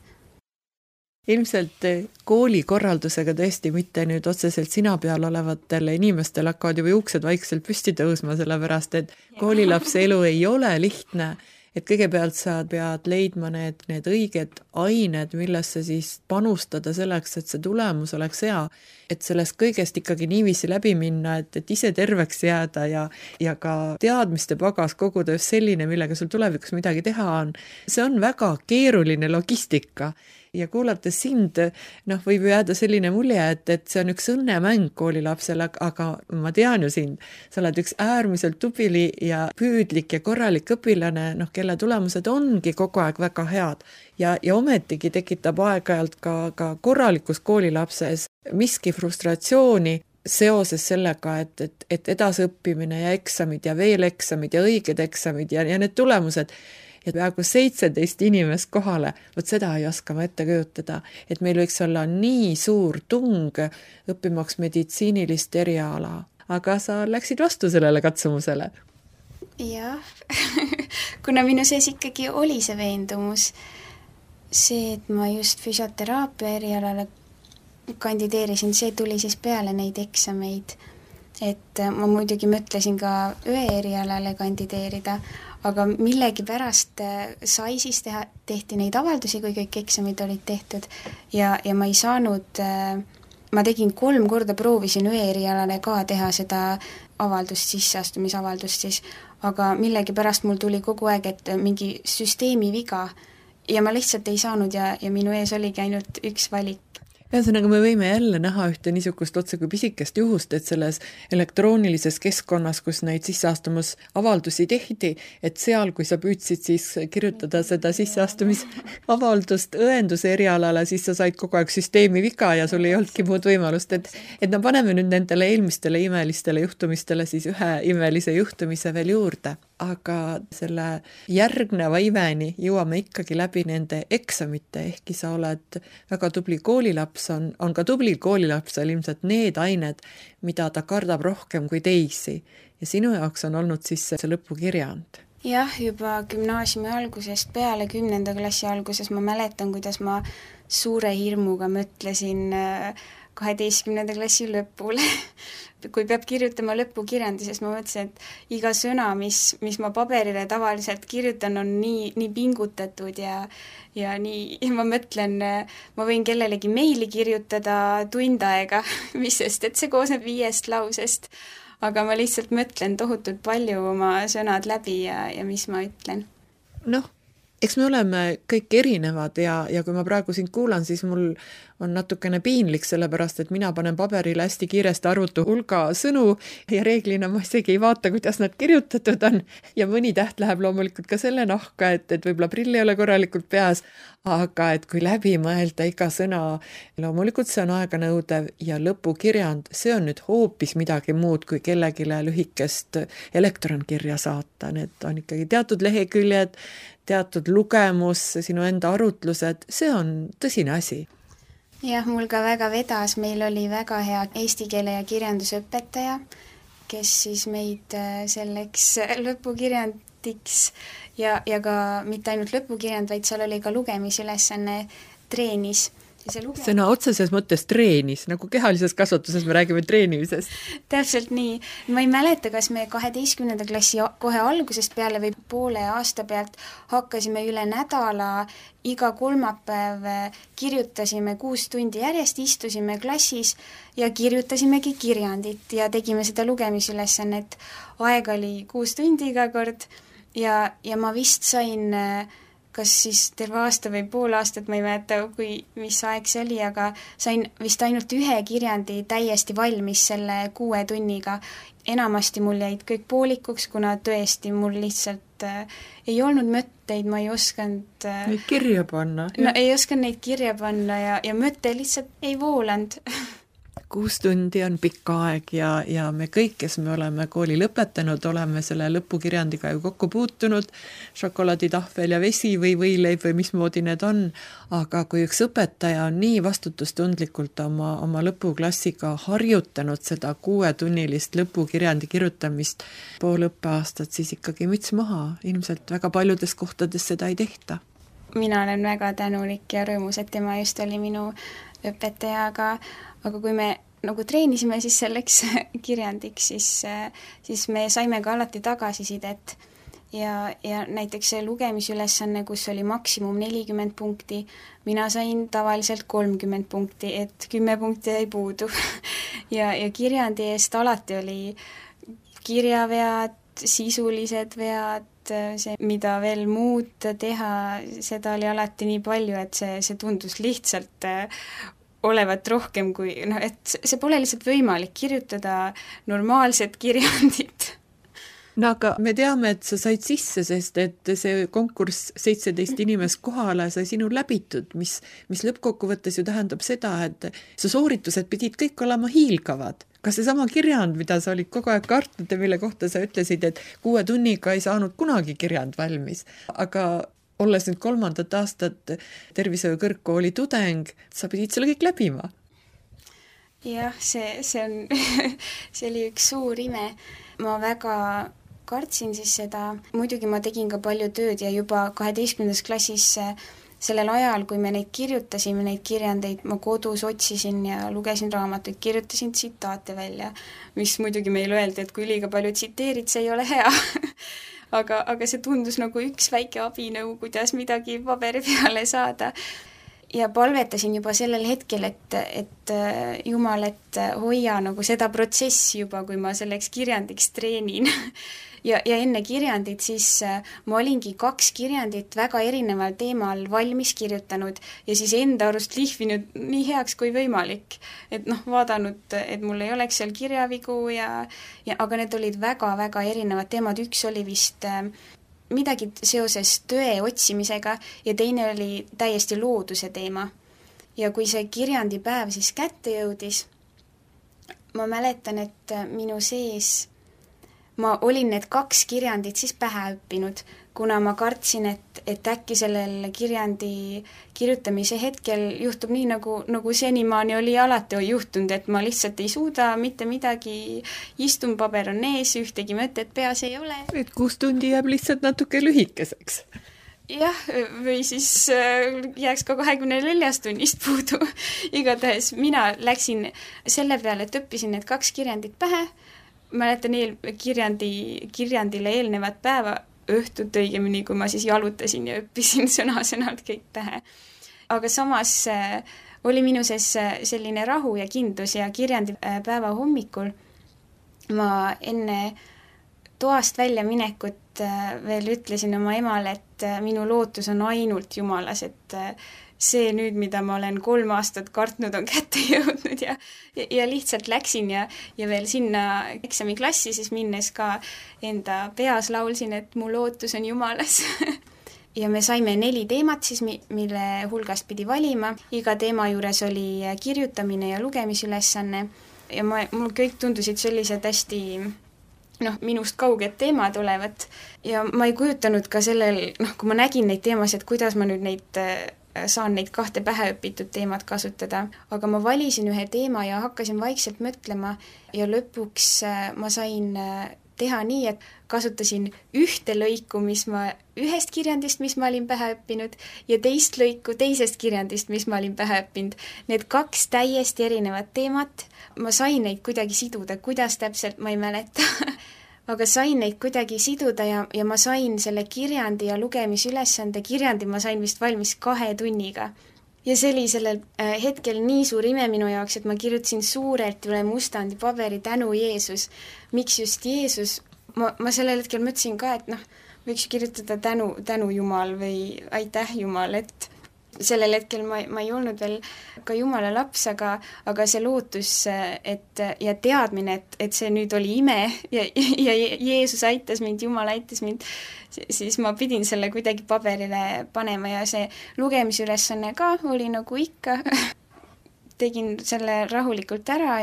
[SPEAKER 2] Ilmselt koolikorraldusega tõesti mitte nüüd otseselt sina peal olevatel inimestel hakkavad juba juuksed vaikselt püsti tõusma, sellepärast et koolilapse elu ei ole lihtne, et kõigepealt sa pead leidma need õiged ained, millesse siis panustada selleks, et see tulemus oleks hea, et sellest kõigest ikkagi niiviisi läbi minna, et ise terveks jääda ja ka teadmiste pagas koguda just selline, millega sul tulevikus midagi teha on. See on väga keeruline logistika. Ja kuulates sind, võib jääda selline mulje, et see on üks õnnemäng koolilapsele, aga ma tean ju sind. Sa oled üks äärmiselt tubli ja püüdlik ja korralik õpilane, kelle tulemused ongi kogu aeg väga head. Ja ometigi tekitab aeg-ajalt ka korralikus koolilapses miski frustratsiooni seoses sellega, et edasõppimine ja eksamid ja veel eksamid ja õiged eksamid ja need tulemused. Ja peaaegu 17 inimest kohale, seda ei oska ma ette kujutada, et meil võiks olla nii suur tung õppimaks meditsiinilist eriala. aga sa läksid vastu sellele katsumusele.
[SPEAKER 3] Jah, kuna minu sees ikkagi oli see veendumus, see, et ma just füsioteraapia erialale kandideerisin, see tuli siis peale neid eksameid. Et ma muidugi mõtlesin ka õe erialale kandideerida, aga millegi pärast sai siis tehti neid avaldusi, kui kõik eksamid olid tehtud ja ma ei saanud, ma tegin 3 korda proovisin õe erialale ka teha seda avaldust, sisseastumisavaldust siis, aga millegi pärast mul tuli kogu aeg, et mingi süsteemi viga ja ma lihtsalt ei saanud ja minu ees oligi ainult üks valik.
[SPEAKER 2] Ühesõnaga, me võime jälle näha ühte niisugust otse kui pisikest juhust, et selles elektroonilises keskkonnas, kus neid sisseastumisavaldusi tehti, et seal, kui sa püüdsid siis kirjutada seda sisseastumisavaldust õenduse erialale, siis sa said kogu aeg süsteemi viga ja sul ei olnudki muud võimalust, et me paneme nüüd nendele eelmistele imelistele juhtumistele siis ühe imelise juhtumise veel juurde. Aga selle järgneva imeni jõuame ikkagi läbi nende eksamite, ehkki sa oled väga tubli koolilaps, on ka tublil koolilapsel ilmselt need ained, mida ta kardab rohkem kui teisi. Ja sinu jaoks on olnud siis see lõpukirjand.
[SPEAKER 3] Jah, juba gümnaasiumi algusest peale 10. klassi alguses ma mäletan, kuidas ma suure hirmuga mõtlesin 12. klassi lõpule. Kui peab kirjutama lõpukirjandi, sest ma mõtlesin, et iga sõna, mis ma paberile tavaliselt kirjutan, on nii pingutatud ja ma mõtlen, ma võin kellelegi meili kirjutada tund aega, mis sest, et see koosneb 5 lausest, aga ma lihtsalt mõtlen tohutult palju oma sõnad läbi ja mis ma ütlen.
[SPEAKER 2] Noh, eks me oleme kõik erinevad ja kui ma praegu sind kuulan, siis mul on natukene piinlik, sellepärast, et mina panen paberile hästi kiiresti arvutu hulga sõnu ja reeglina ma isegi ei vaata, kuidas nad kirjutatud on ja mõni täht läheb loomulikult ka selle nahka, et võib-olla prill ei ole korralikult peas, aga et kui läbi mõelda iga sõna, loomulikult see on aeganõudev ja lõpukirjand, see on nüüd hoopis midagi muud kui kellegile lühikest elektronkirja saata, need on ikkagi teatud leheküljed, teatud lugemus, sinu enda arutlused, see on tõsine asi.
[SPEAKER 3] Jah, mul ka väga vedas, meil oli väga hea eesti keele ja kirjandusõpetaja, kes siis meid selleks lõpukirjandiks ja ka mitte ainult lõpukirjand, vaid seal oli ka lugemisülesanne treenis.
[SPEAKER 2] Sõna otseses mõttes treenis, nagu kehalises kasvatuses me räägime treenimisest.
[SPEAKER 3] Täpselt nii. Ma ei mäleta, kas me 12. klassi kohe algusest peale või poole aasta pealt hakkasime üle nädala iga kolmapäev kirjutasime 6 tundi järjest, istusime klassis ja kirjutasimegi kirjandit ja tegime seda lugemisülesannet. Aeg oli 6 tundi iga kord ja ma vist sain kas siis terve aasta või pool aastat, ma ei mäleta, mis aeg see oli, aga sain vist ainult 1 kirjandi täiesti valmis selle 6 tunniga. Enamasti mul jäid kõik poolikuks, kuna tõesti mul lihtsalt ei olnud mõtteid, ma ei osanud
[SPEAKER 2] neid kirja panna.
[SPEAKER 3] No, ei osanud neid kirja panna ja mõte lihtsalt ei voolanud.
[SPEAKER 2] 6 tundi on pikk aeg ja me kõik, kes me oleme kooli lõpetanud, oleme selle lõpukirjandiga ju kokku puutunud, šokolaaditahvel ja vesi või võileib või mismoodi need on, aga kui üks õpetaja on nii vastutustundlikult oma lõpuklassiga harjutanud seda 6-tunnilist lõpukirjandi kirjutamist pool õppeaastat, siis ikkagi müts maha, ilmselt väga paljudes kohtades seda ei tehta.
[SPEAKER 3] Mina olen väga tänulik ja rõõmus, et tema just oli minu õpetaja, aga kui me nagu treenisime siis selleks kirjandiks, siis me saime ka alati tagasisidet ja näiteks see lugemisülesanne, kus oli maksimum 40 punkti, mina sain tavaliselt 30 punkti, et 10 punkti jäi puudu ja kirjandi eest alati oli kirjavead, sisulised vead, see, mida veel muud teha, seda oli alati nii palju, et see tundus lihtsalt olevat rohkem kui, et see pole lihtsalt võimalik kirjutada normaalset kirjandit.
[SPEAKER 2] No aga me teame, et sa said sisse, sest et see konkurss 17 inimest kohale sai sinu läbitud, mis lõppkokkuvõttes ju tähendab seda, et su sooritused pidid kõik olema hiilgavad. Kas see sama kirjand, mida sa olid kogu aeg kartnud ja mille kohta sa ütlesid, et 6 tunniga ei saanud kunagi kirjand valmis, aga olles nüüd 3. aastat tervishoiu kõrgkooli tudeng, sa pidid selle kõik läbima?
[SPEAKER 3] Jah, see on see oli üks suur ime. Ma väga kartsin siis seda, muidugi ma tegin ka palju tööd ja juba 12. klassis sellel ajal, kui me neid kirjutasime, neid kirjandeid, ma kodus otsisin ja lugesin raamatuid, kirjutasin tsitaate välja, mis muidugi meile öeldi, et kui liiga palju tsiteerid, see ei ole hea aga see tundus nagu üks väike abinõu, kuidas midagi paberi peale saada. Ja palvetasin juba sellel hetkel, et Jumal, et hoia nagu seda protsessi juba, kui ma selleks kirjandiks treenin. ja enne kirjandit siis ma olingi 2 kirjandit väga erineval teemal valmis kirjutanud ja siis enda arust lihvinud nii heaks kui võimalik. Et vaadanud, et mul ei oleks seal kirjavigu aga need olid väga-väga erinevad teemad. Üks oli vist midagi seoses tõe otsimisega ja teine oli täiesti looduse teema. Ja kui see kirjandipäev siis kätte jõudis, ma mäletan, et minu sees ma olin need 2 kirjandit siis pähe õppinud, kuna ma kartsin, et äkki sellel kirjandi kirjutamise hetkel juhtub nii, nagu senimaani oli alati juhtunud, et ma lihtsalt ei suuda mitte midagi, istun, paber on ees, ühtegi mõtet peas ei ole.
[SPEAKER 2] Et 6 tundi jääb lihtsalt natuke lühikeseks.
[SPEAKER 3] Jah, või siis jääks ka 24 tunnist puudu. Igatahes mina läksin selle peale, et õppisin need 2 kirjandit pähe. Mäletan kirjandile eelnevat päeva, õhtut õigemini, kui ma siis jalutasin ja õppisin sõna-sõnalt kõik pähe. Aga samas oli minu sees selline rahu ja kindlus ja kirjandipäeva hommikul ma enne toast välja minekut veel ütlesin oma emale, et minu lootus on ainult Jumalas, et see nüüd, mida ma olen 3 aastat kartnud, on kätte jõudnud ja lihtsalt läksin ja veel sinna eksamiklassi siis minnes ka enda peas laulsin, et mu lootus on Jumalas. Ja me saime 4 teemat siis, mille hulgast pidi valima. Iga teema juures oli kirjutamine ja lugemisülesanne ja mul kõik tundusid sellised hästi minust kauged teemad olevat ja ma ei kujutanud ka sellel, kui ma nägin neid teemasid, kuidas ma nüüd saan neid 2 pähe õpitud teemat kasutada. Aga ma valisin ühe teema ja hakkasin vaikselt mõtlema ja lõpuks ma sain teha nii, et kasutasin ühte lõiku, mis ma ühest kirjandist, mis ma olin pähe õppinud ja teist lõiku teisest kirjandist, mis ma olin pähe õppinud. Need 2 täiesti erinevat teemat, ma sain neid kuidagi siduda, kuidas täpselt, ma ei mäleta. Aga sain neid kuidagi siduda ja ma sain selle kirjandi ja lugemisülesande kirjandi, ma sain vist valmis 2 tunniga. Ja see oli sellel hetkel nii suur ime minu jaoks, et ma kirjutasin suurelt üle mustandi paberi tänu Jeesus. Miks just Jeesus? Ma sellel hetkel mõtlesin ka, et võiks kirjutada tänu Jumal või aitäh Jumal, et sellel hetkel ma ei olnud veel ka Jumala laps, aga see lootus ja teadmine, et see nüüd oli ime ja Jeesus aitas mind, Jumal aitas mind, siis ma pidin selle kuidagi paberile panema ja see lugemisülesanne ka oli nagu ikka. Tegin selle rahulikult ära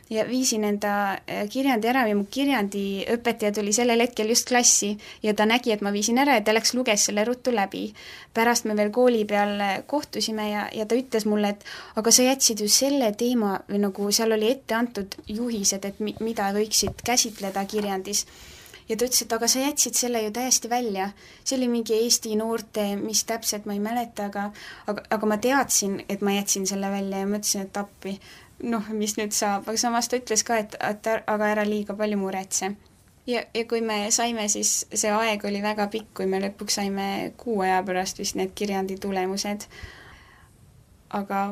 [SPEAKER 3] ja viisin enda kirjandi ära ja mu kirjandiõpetaja tuli sellel hetkel just klassi ja ta nägi, et ma viisin ära ja ta luges selle ruttu läbi. Pärast me veel kooli peal kohtusime ja ta ütles mulle, et aga sa jätsid ju selle teema või nagu seal oli ette antud juhised, et mida võiksid käsitleda kirjandis. Ja ta ütles, et aga sa jätsid selle ju täiesti välja. See oli mingi Eesti noorte, mis täpselt ma ei mäleta, aga ma teadsin, et ma jätsin selle välja ja mõtlesin, et appi. Mis nüüd saab, aga samas ta ütles ka, et aga ära liiga palju muretse. Ja kui me saime, siis see aeg oli väga pikk, kui me lõpuks saime 6 aja pärast vist need kirjandi tulemused. Aga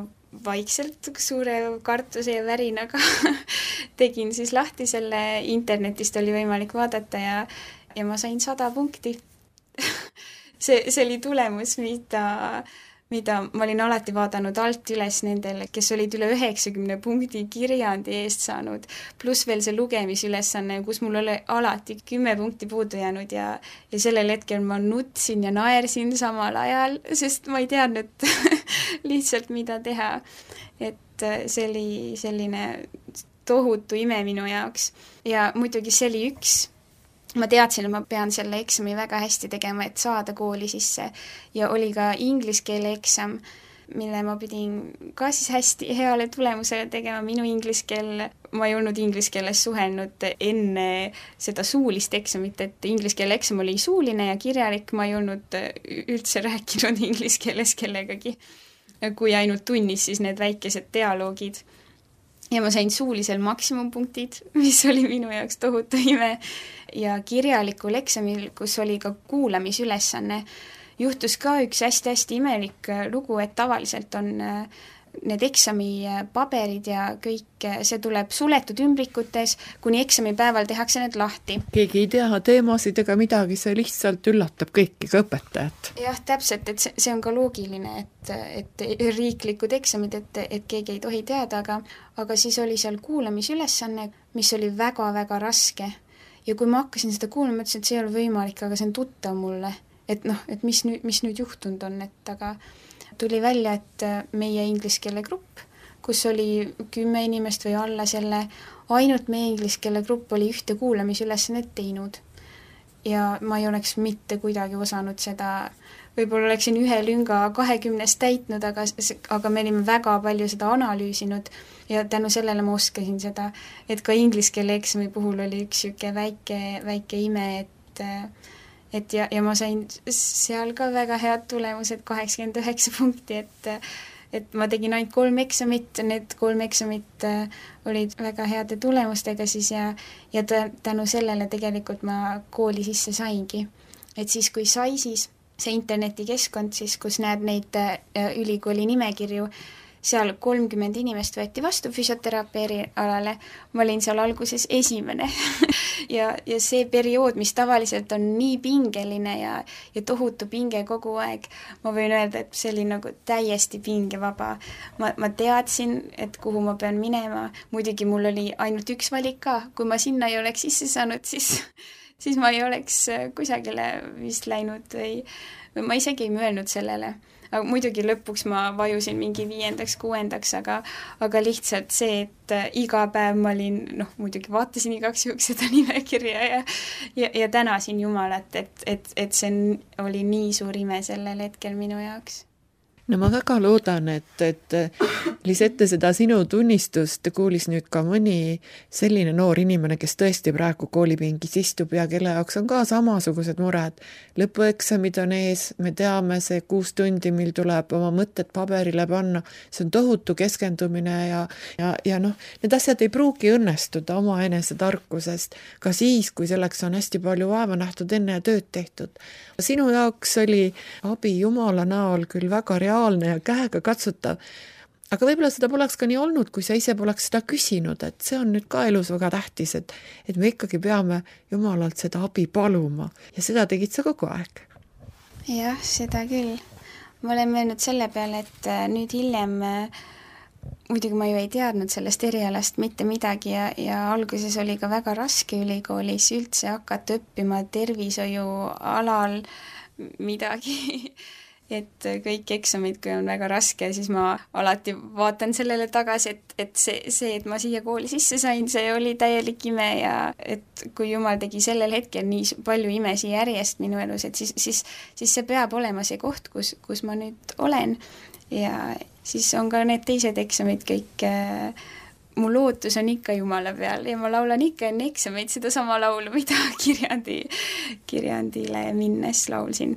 [SPEAKER 3] vaikselt suure kartuse ja värinaga tegin siis lahti selle, internetist oli võimalik vaadata ja ma sain 100 punkti. see oli tulemus, mida ma olin alati vaadanud alt üles nendele, kes olid üle 90 punkti kirjandi eest saanud, pluss veel see lugemisülesanne, kus mul oli alati 10 punkti puudu jäänud ja sellel hetkel ma nutsin ja naersin samal ajal, sest ma ei teadnud lihtsalt, mida teha. Et see oli selline tohutu ime minu jaoks ja muidugi see oli ma teadsin, et ma pean selle eksami väga hästi tegema, et saada kooli sisse ja oli ka inglise keele eksam mille ma pidin ka siis hästi heale tulemusele tegema. Minu ingliskeele, ma ei olnud ingliskeeles suhelnud enne seda suulist eksamit, et ingliskeele eksam oli suuline ja kirjalik, ma ei olnud üldse rääkinud ingliskeeles kellegagi, kui ainult tunnis siis need väikesed dialoogid. Ja ma sain suulisel maksimumpunktid, mis oli minu jaoks tohutu ime, ja kirjalikul eksamil, kus oli ka kuulamisülesanne, juhtus ka üks hästi-hästi imelik lugu, et tavaliselt on need eksami paberid ja kõik, see tuleb suletud ümbrikutes, kuni eksamipäeval tehakse need lahti.
[SPEAKER 2] Keegi ei tea teemasid ega midagi, see lihtsalt üllatab kõiki, ka õpetajat.
[SPEAKER 3] Jah, täpselt, et see on ka loogiline, et riiklikud eksamid, et keegi ei tohi teada, aga siis oli seal kuulamisülesanne, mis oli väga-väga raske. Ja kui ma hakkasin seda kuulama, ütlesin, et see ei ole võimalik, aga see on tuttav mulle. Et mis nüüd juhtunud on, aga tuli välja, et meie ingliskeele grupp, kus oli 10 inimest või alla selle, ainult meie ingliskeele grupp oli ühte kuulamisülesannet teinud. Ja ma ei oleks mitte kuidagi osanud seda, võib-olla oleksin ühe lünga 20 täitnud, aga me olime väga palju seda analüüsinud ja tänu sellele ma oskasin seda, et ka ingliskeele eksami puhul oli üks väike ime, ja ma sain seal ka väga head tulemused, 89 punkti, et ma tegin ainult 3 eksamit, need 3 eksamit olid väga heade tulemustega siis ja tänu sellele tegelikult ma kooli sisse saingi. Et siis, kui sai siis see internetikeskkond, siis kus näed neid ülikooli nimekirju, seal 30 inimest võeti vastu füsioteraapia erialale, ma olin seal alguses esimene ja see periood, mis tavaliselt on nii pingeline ja tohutu pinge kogu aeg, ma võin öelda, et see oli nagu täiesti pingevaba. Ma teadsin, et kuhu ma pean minema, muidugi mul oli ainult üks valik ka, kui ma sinna ei oleks sisse saanud, siis ma ei oleks kusagile vist läinud või ma isegi ei mõelnud sellele. Aga muidugi lõpuks ma vajusin mingi 5., 6., aga lihtsalt see, et iga päev ma olin, muidugi vaatasin igaks juhuks seda nimekirja ja tänasin Jumalat, et see oli nii suur ime sellel hetkel minu jaoks.
[SPEAKER 2] No ma väga loodan, et Lisette seda sinu tunnistust kuulis nüüd ka mõni selline noor inimene, kes tõesti praegu koolipingis istub ja kelle jaoks on ka samasugused mured. Lõpueksamid on ees, me teame see 6 tundi, mil tuleb oma mõtted paberile panna, see on tohutu keskendumine ja need asjad ei pruugi õnnestuda oma enese tarkusest, ka siis, kui selleks on hästi palju vaeva nähtud enne ja tööd tehtud. Sinu jaoks oli abi Jumala näol küll väga reaalne ja käega katsutav, aga võib-olla seda poleks ka nii olnud, kui sa ise poleks seda küsinud, et see on nüüd ka elus väga tähtis, et me ikkagi peame Jumalalt seda abi paluma ja seda tegid sa kogu aeg.
[SPEAKER 3] Jah, seda küll. Ma olen mõelnud selle peale, et nüüd hiljem muidugi ma ju ei teadnud sellest erialast mitte midagi ja alguses oli ka väga raske ülikoolis üldse hakata õppima tervishoiu alal midagi. Et kõik eksamid, kui on väga raske, siis ma alati vaatan sellele tagasi, et see, et ma siia kooli sisse sain, see oli täielik ime ja et kui Jumal tegi sellel hetkel nii palju imesi järjest minu elus, et siis see peab olema see koht, kus ma nüüd olen ja siis on ka need teised eksamid kõik, mu lootus on ikka Jumala peal ja ma laulan ikka enne eksameid seda sama laulu, mida kirjandile minnes laulsin.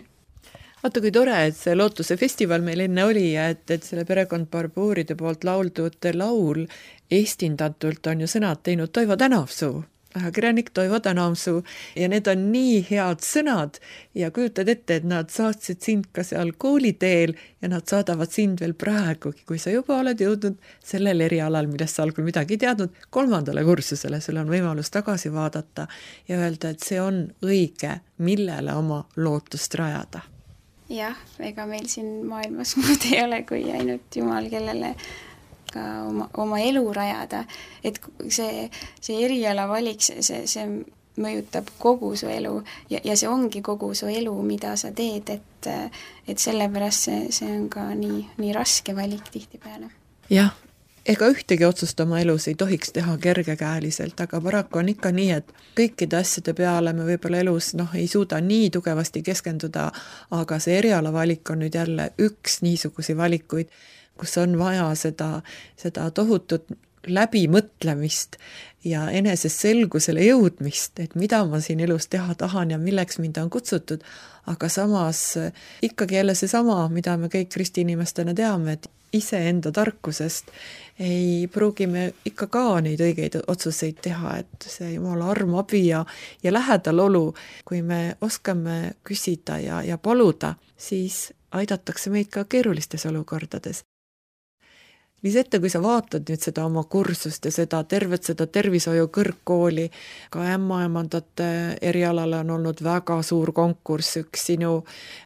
[SPEAKER 2] Vaata, kui tore, et see Lootuse festival meil enne oli ja et selle perekond Barbuuride poolt lauldud laul eestindatult on ju sõnad teinud Toivo Tänavsuu, ajakirjanik Toivo Tänavsuu ja need on nii head sõnad ja kujutad ette, et nad saatsid sind ka seal kooliteel ja nad saadavad sind veel praegugi, kui sa juba oled jõudnud sellel erialal, millest sa algul midagi ei teadnud, 3. kursusele, sul on võimalus tagasi vaadata ja öelda, et see on õige, millele oma lootust rajada.
[SPEAKER 3] Jah, ega meil siin maailmas muud ei ole kui ainult Jumal, kellele ka oma elu rajada. Et see eriala valik, see mõjutab kogu su elu ja see ongi kogu su elu, mida sa teed, et sellepärast see on ka nii raske valik tihtipeale.
[SPEAKER 2] Jah, ega ühtegi otsust oma elus ei tohiks teha kergekäeliselt, aga paraku on ikka nii, et kõikide asjade peale me võib-olla elus ei suuda nii tugevasti keskenduda, aga see erialavalik on nüüd jälle üks niisugusi valikuid, kus on vaja seda tohutut läbimõtlemist ja enesest selgusele jõudmist, et mida ma siin elus teha tahan ja milleks mind on kutsutud, aga samas ikkagi jälle seesama, mida me kõik ristiinimestena teame, et iseenda tarkusest ei pruugi me ikka ka neid õigeid otsuseid teha, et see Jumala arm, abi ja lähedal olu, kui me oskame küsida ja paluda, siis aidatakse meid ka keerulistes olukordades. Liisette, kui sa vaatad nüüd seda oma kursust ja tervet tervishoiu kõrgkooli, ka ämmaemandate erialale on olnud väga suur konkurss, üks sinu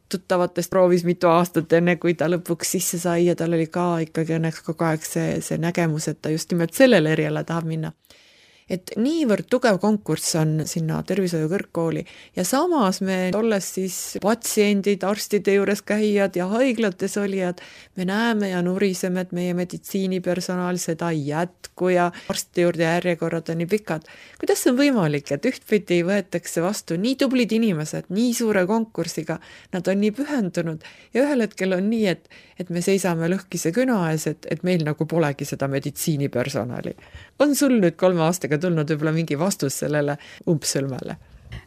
[SPEAKER 2] tuttavatest proovis mitu aastat enne, kui ta lõpuks sisse sai ja tal oli ka ikkagi õnneks kogu aeg see nägemus, et ta just nimelt sellele eriala tahab minna. Et niivõrd tugev konkurss on sinna tervishoiu kõrgkooli ja samas me olles siis patsiendid, arstide juures käijad ja haiglates olijad, me näeme ja nuriseme, et meie meditsiinipersonal seda ei jätku ja arsti juurde järjekorrad on nii pikad. Kuidas on võimalik, et ühtpidi võetakse vastu nii tublid inimesed, nii suure konkursiga, nad on nii pühendunud ja ühel hetkel on nii, et me seisame lõhkise küna ees, et meil nagu polegi seda meditsiinipersonali. On sul nüüd 3 aastaga tulnud võib-olla mingi vastus sellele umbsõlmele?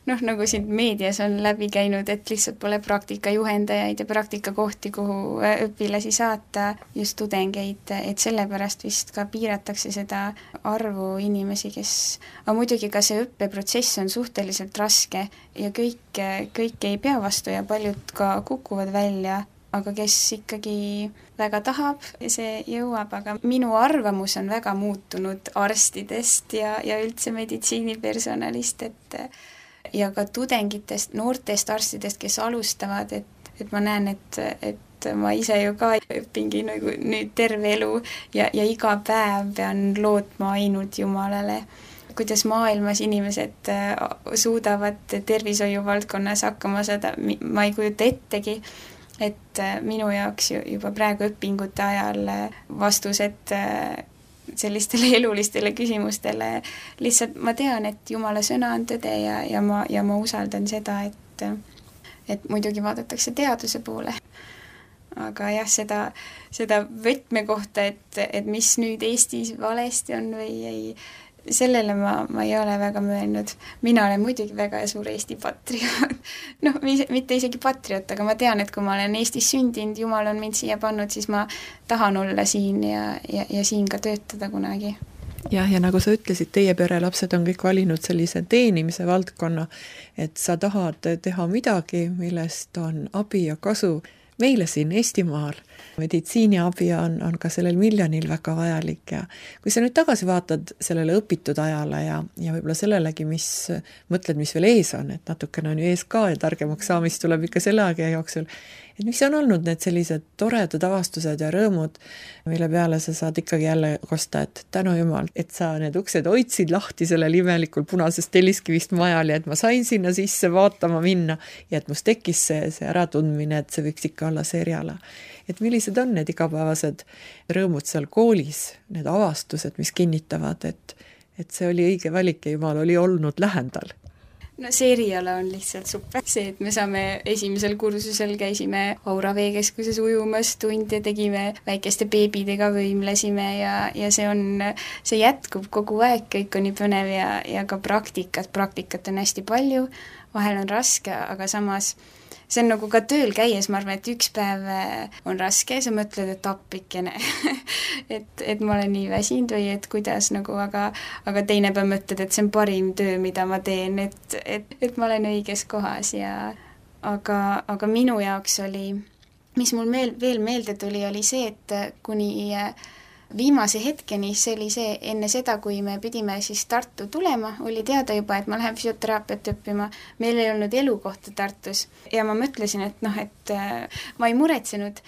[SPEAKER 3] Nagu siin meedias on läbi käinud, et lihtsalt pole praktikajuhendajaid ja praktikakohti, kuhu õpilasi saata, just tudengeid, et sellepärast vist ka piiratakse seda arvu inimesi, aga muidugi ka see õppeprotsess on suhteliselt raske ja kõik ei pea vastu ja paljud ka kukuvad välja, aga kes ikkagi väga tahab ja see jõuab, aga minu arvamus on väga muutunud arstidest ja üldse meditsiinipersonalist, ja ka tudengitest, noortest arstidest, kes alustavad, et ma näen, et ma ise ju ka õpingi nagu nüüd terve elu ja iga päev pean lootma ainult Jumalale. Kuidas maailmas inimesed suudavad tervishoiu valdkonnas hakkama saada, ma ei kujuta ettegi, et minu jaoks juba praegu õpingute ajal vastused sellistele elulistele küsimustele, lihtsalt ma tean, et Jumala sõna on tõde ja ma usaldan seda, et muidugi vaadatakse teaduse poole. Aga jah, seda võtmekohta, et mis nüüd Eestis valesti on või ei, sellele ma ei ole väga mõelnud. Mina olen muidugi väga suur Eesti patrioot. Mitte isegi patrioot, aga ma tean, et kui ma olen Eestis sündinud, Jumal on mind siia pannud, siis ma tahan olla siin ja siin ka töötada kunagi.
[SPEAKER 2] Ja nagu sa ütlesid, teie perelapsed on kõik valinud sellise teenimise valdkonna, et sa tahad teha midagi, millest on abi ja kasu meile siin Eestimaal. Meditsiiniabi on ka sellel miljonil väga vajalik ja kui sa nüüd tagasi vaatad sellele õpitud ajale ja võib-olla sellelegi, mis veel ees on, et natukene on ju ees ka ja targemaks saamist tuleb ikka selle aega jooksul, et mis on olnud need sellised toredad avastused ja rõõmud, mille peale sa saad ikkagi jälle kosta, et tänu Jumal, et sa need uksed hoidsid lahti sellel imelikul punasest telliskivist majal ja et ma sain sinna sisse vaatama minna ja et must tekkis see äratundmine, et see võiks ikka olla see eriala. Et millised on need igapäevased rõõmud seal koolis, need avastused, mis kinnitavad, et see oli õige valik ja Jumal oli olnud lähendal?
[SPEAKER 3] See eriala on lihtsalt super. See, et me saame esimesel kursusel käisime Aura veekeskuses ujumas tunde, tegime väikeste beebidega, võimlesime ja see jätkub kogu aeg, kõik on nii põnev ja ka praktikat on hästi palju, vahel on raske, aga samas see on nagu ka tööl käies, ma arvan, et üks päev on raske, sa mõtled, et appikene, et ma olen nii väsinud või et kuidas nagu, aga teine päev mõtled, et see on parim töö, mida ma teen, et ma olen õiges kohas aga minu jaoks oli, mis mul veel meelde tuli, oli see, et kuni viimase hetkeni, see oli see enne seda, kui me pidime siis Tartu tulema, oli teada juba, et ma lähen füsioteraapiat õppima. Meil ei olnud elukohta Tartus ja ma mõtlesin, et ma ei muretsenud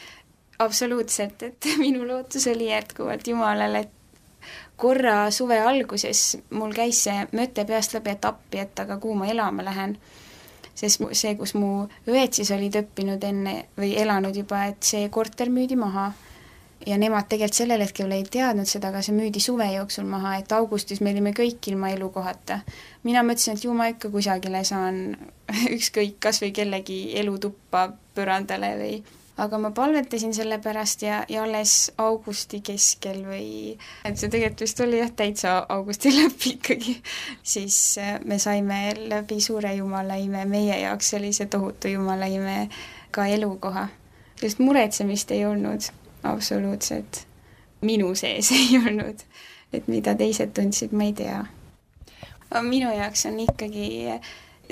[SPEAKER 3] absoluutselt, et minu lootus oli jätkuvalt Jumalale, et korra suve alguses mul käis see mõte peast läbi, et appi, et aga kuhu ma elama lähen. Sest see, kus mu õed siis olid õppinud enne või elanud juba, et see korter müüdi maha. ja nemad tegelikult sellel hetkel ei teadnud seda, aga see müüdi suve jooksul maha, et augustis me olime kõik ilma elukohata. Mina mõtlesin, et ju ma ikka kusagile saan ükskõik kas või kellegi elutuppa põrandale või, aga ma palvetasin selle pärast ja alles augusti keskel või, et see tegelikult vist oli täitsa augusti lõpp ikkagi, siis me saime läbi suure jumalaime, meie jaoks oli see tohutu jumalaime ka elukoha. Sest muretsemist ei olnud absoluutselt, minu sees ei olnud, et mida teised tundsid, ma ei tea. Minu jaoks on ikkagi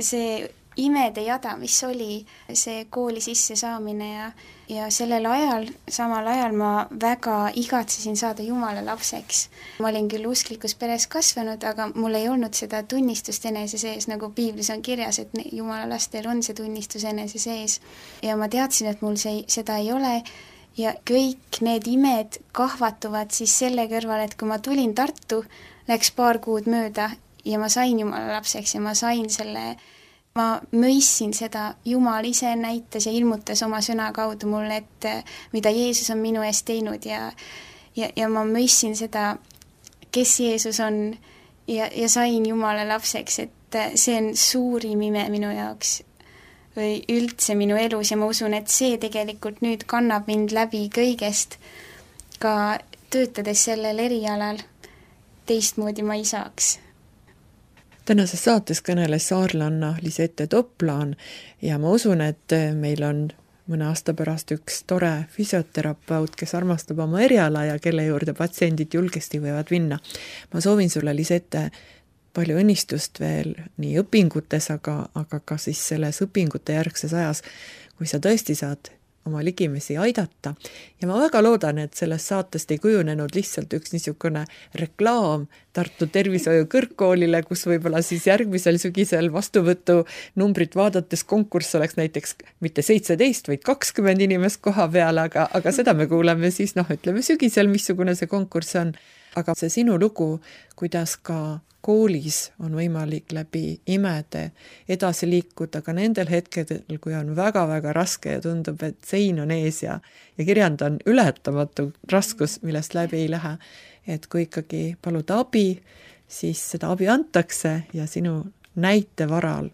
[SPEAKER 3] see imede jada, mis oli see kooli sisse saamine ja sellel ajal, samal ajal ma väga igatsesin saada Jumala lapseks. Ma olin küll usklikus peres kasvanud, aga mul ei olnud seda tunnistust enese sees, nagu piiblis on kirjas, et Jumala lastel on see tunnistus enese sees. Ja ma teadsin, et mul seda ei ole ja kõik need imed kahvatuvad siis selle kõrval, et kui ma tulin Tartu, läks paar kuud mööda ja ma sain Jumala lapseks ja ma sain selle. Ma mõissin seda, Jumal ise näitas ja ilmutas oma sõna kaudu mulle, et mida Jeesus on minu eest teinud ja ma mõissin seda, kes Jeesus on ja sain Jumala lapseks, et see on suurim ime minu jaoks või üldse minu elus ja ma usun, et see tegelikult nüüd kannab mind läbi kõigest, ka töötades sellel erialal teistmoodi ma ei saaks.
[SPEAKER 2] Tänases saates kõneles saarlanna Lisette Toplaan ja ma usun, et meil on mõne aasta pärast üks tore füsioterapeut, kes armastab oma eriala ja kelle juurde patsiendid julgesti võivad minna. Ma soovin sulle, Lisette, palju õnnistust veel nii õpingutes, aga ka siis selles õpingute järgses ajas, kui sa tõesti saad oma ligimesi aidata. Ja ma väga loodan, et sellest saatest ei kujunenud lihtsalt üks niisugune reklaam Tartu tervishoiu kõrgkoolile, kus võib-olla siis järgmisel sügisel vastuvõtu numbrit vaadates konkurss oleks näiteks mitte 17, vaid 20 inimest koha peal, aga seda me kuuleme siis, ütleme sügisel, missugune see konkurss on. Aga see sinu lugu, kuidas ka koolis on võimalik läbi imede edasi liikuda ka nendel hetkedel, kui on väga-väga raske ja tundub, et sein on ees ja kirjand on ületamatu raskus, millest läbi ei lähe. Et kui ikkagi paluda abi, siis seda abi antakse ja sinu näite varal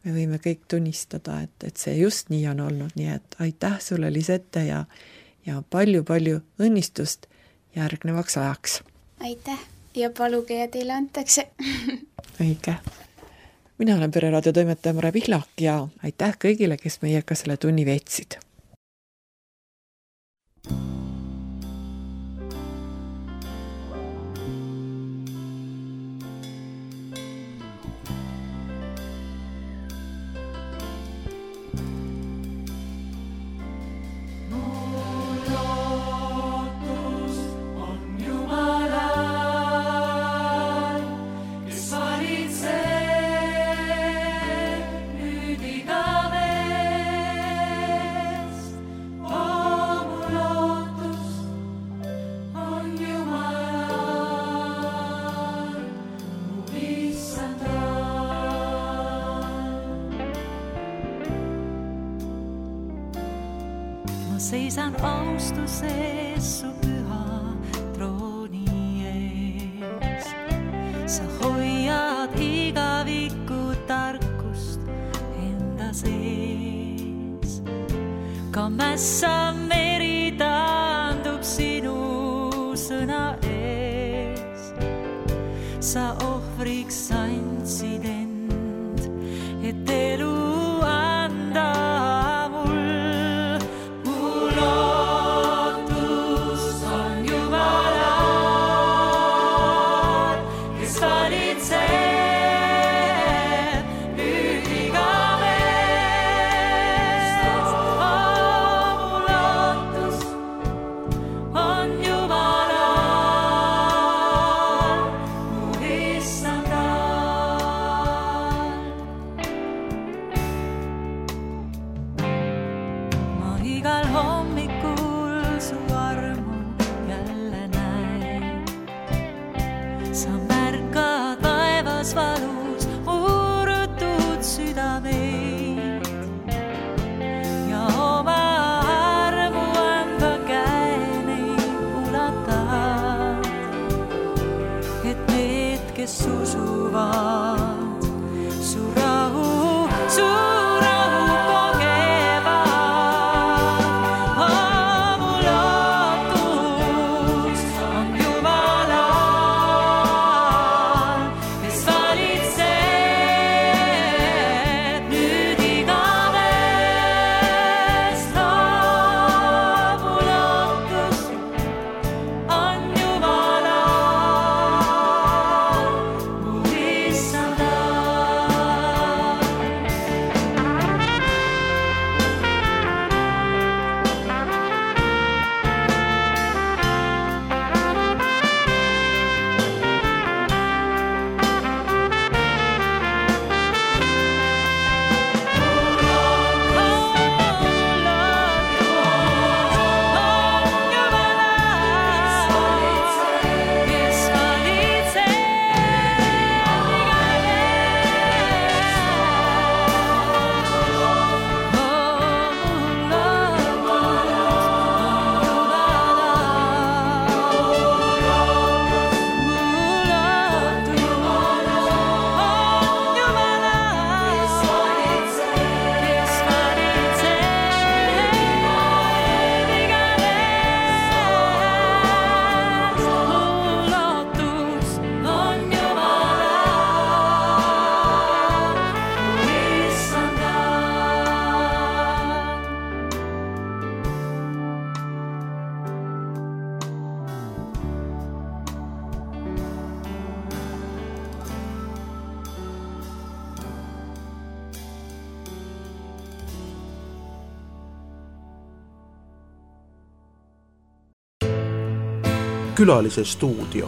[SPEAKER 2] me võime kõik tunnistada, et see just nii on olnud. Nii et aitäh sulle, Lisette, ja palju-palju õnnistust järgnevaks ajaks.
[SPEAKER 3] Aitäh ja paluge ja teile antakse.
[SPEAKER 2] Õige. Mina olen Pereraadio toimetaja Mare Pihlak ja aitäh kõigile, kes meiega selle tunni veetsid.
[SPEAKER 4] Seisan austuses su püha trooni ees. Sa hoiad igavikku tarkust enda sees. Ka mässa meri taandub sinu sõna ees. Sa ohvriks andsid end, et elu anda.
[SPEAKER 1] Külalise stuudio.